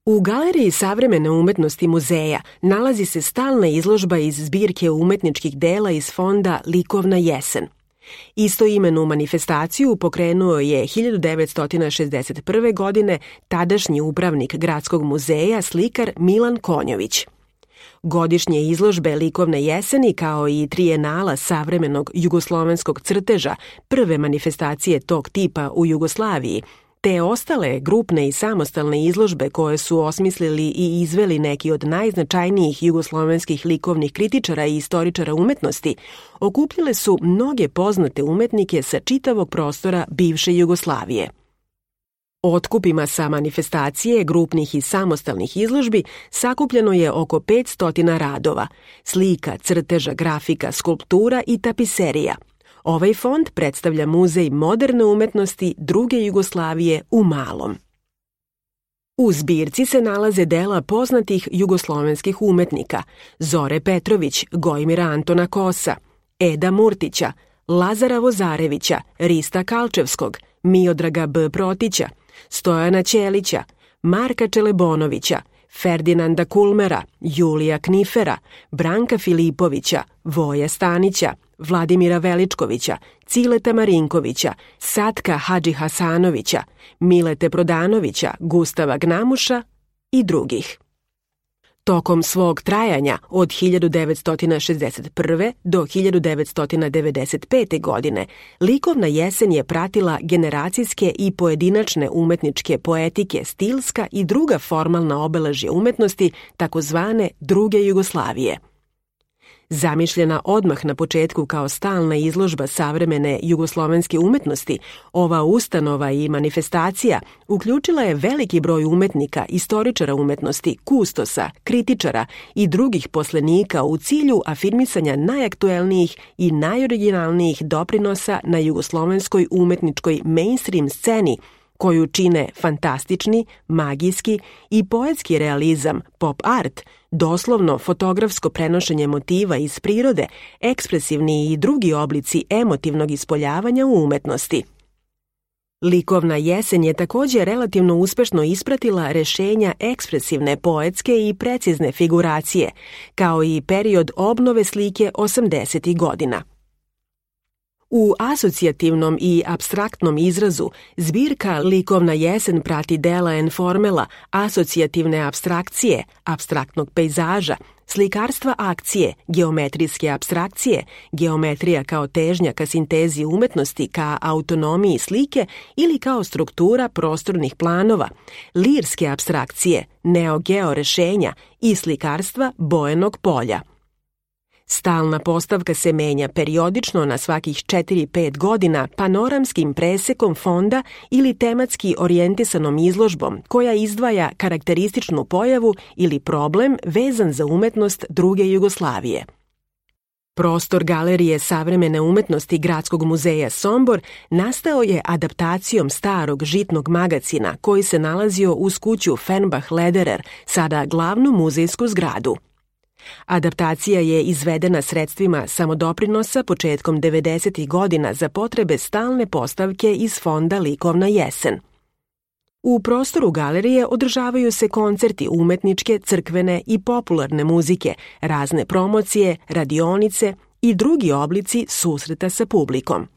U Galeriji savremene umetnosti muzeja nalazi se stalna izložba iz zbirke umetničkih dela iz fonda Likovna jesen. Istoimenu manifestaciju pokrenuo je 1961. godine tadašnji upravnik Gradskog muzeja, slikar Milan Konjović. Godišnje izložbe Likovne jeseni, kao i trijenala savremenog jugoslovenskog crteža, prve manifestacije tog tipa u Jugoslaviji, te ostale grupne i samostalne izložbe koje su osmislili i izveli neki od najznačajnijih jugoslovenskih likovnih kritičara i istoričara umetnosti, okupljale su mnoge poznate umetnike sa čitavog prostora bivše Jugoslavije. Otkupima sa manifestacije grupnih i samostalnih izložbi sakupljeno je oko 500 radova, slika, crteža, grafika, skulptura i tapiserija. Ovaj fond predstavlja Muzej moderne umetnosti druge Jugoslavije u Malom. U zbirci se nalaze dela poznatih jugoslovenskih umetnika Zore Petrović, Gojmira Antona Kosa, Eda Murtića, Lazara Vozarevića, Rista Kalčevskog, Miodraga B. Protića, Stojana Ćelića, Marka Čelebonovića, Ferdinanda Kulmera, Julija Knifera, Branka Filipovića, Voja Stanića, Vladimira Veličkovića, Cileta Marinkovića, Satka Hadžihasanovića, Milete Prodanovića, Gustava Gnamuša i drugih. Tokom svog trajanja od 1961. do 1995. godine Likovna jesen je pratila generacijske i pojedinačne umetničke poetike, stilska i druga formalna obeležja umetnosti takozvane druge Jugoslavije. Zamišljena odmah na početku kao stalna izložba savremene jugoslovenske umetnosti, ova ustanova i manifestacija uključila je veliki broj umetnika, istoričara umetnosti, kustosa, kritičara i drugih poslenika u cilju afirmisanja najaktuelnijih i najoriginalnijih doprinosa na jugoslovenskoj umetničkoj mainstream sceni, koju čine fantastični, magijski i poetski realizam, pop art, doslovno fotografsko prenošenje motiva iz prirode, ekspresivni i drugi oblici emotivnog ispoljavanja u umetnosti. Likovna jesen je također relativno uspešno ispratila rešenja ekspresivne, poetske i precizne figuracije, kao i period obnove slike 80. godina. U asocijativnom i apstraktnom izrazu zbirka Likovna jesen prati dela enformela, asocijativne apstrakcije, apstraktnog pejzaža, slikarstva akcije, geometrijske apstrakcije, geometrija kao težnja ka sintezi umetnosti, ka autonomiji slike ili kao struktura prostornih planova, lirske apstrakcije, neogeo rešenja i slikarstva bojenog polja. Stalna postavka se menja periodično na svakih 4-5 godina panoramskim presekom fonda ili tematski orijentisanom izložbom koja izdvaja karakterističnu pojavu ili problem vezan za umetnost druge Jugoslavije. Prostor Galerije savremene umetnosti Gradskog muzeja Sombor nastao je adaptacijom starog žitnog magacina koji se nalazio uz kuću Fernbach-Lederer, sada glavnu muzejsku zgradu. Adaptacija je izvedena sredstvima samodoprinosa početkom 90. godina za potrebe stalne postavke iz fonda Likovna jesen. U prostoru galerije održavaju se koncerti umetničke, crkvene i popularne muzike, razne promocije, radionice i drugi oblici susreta sa publikom.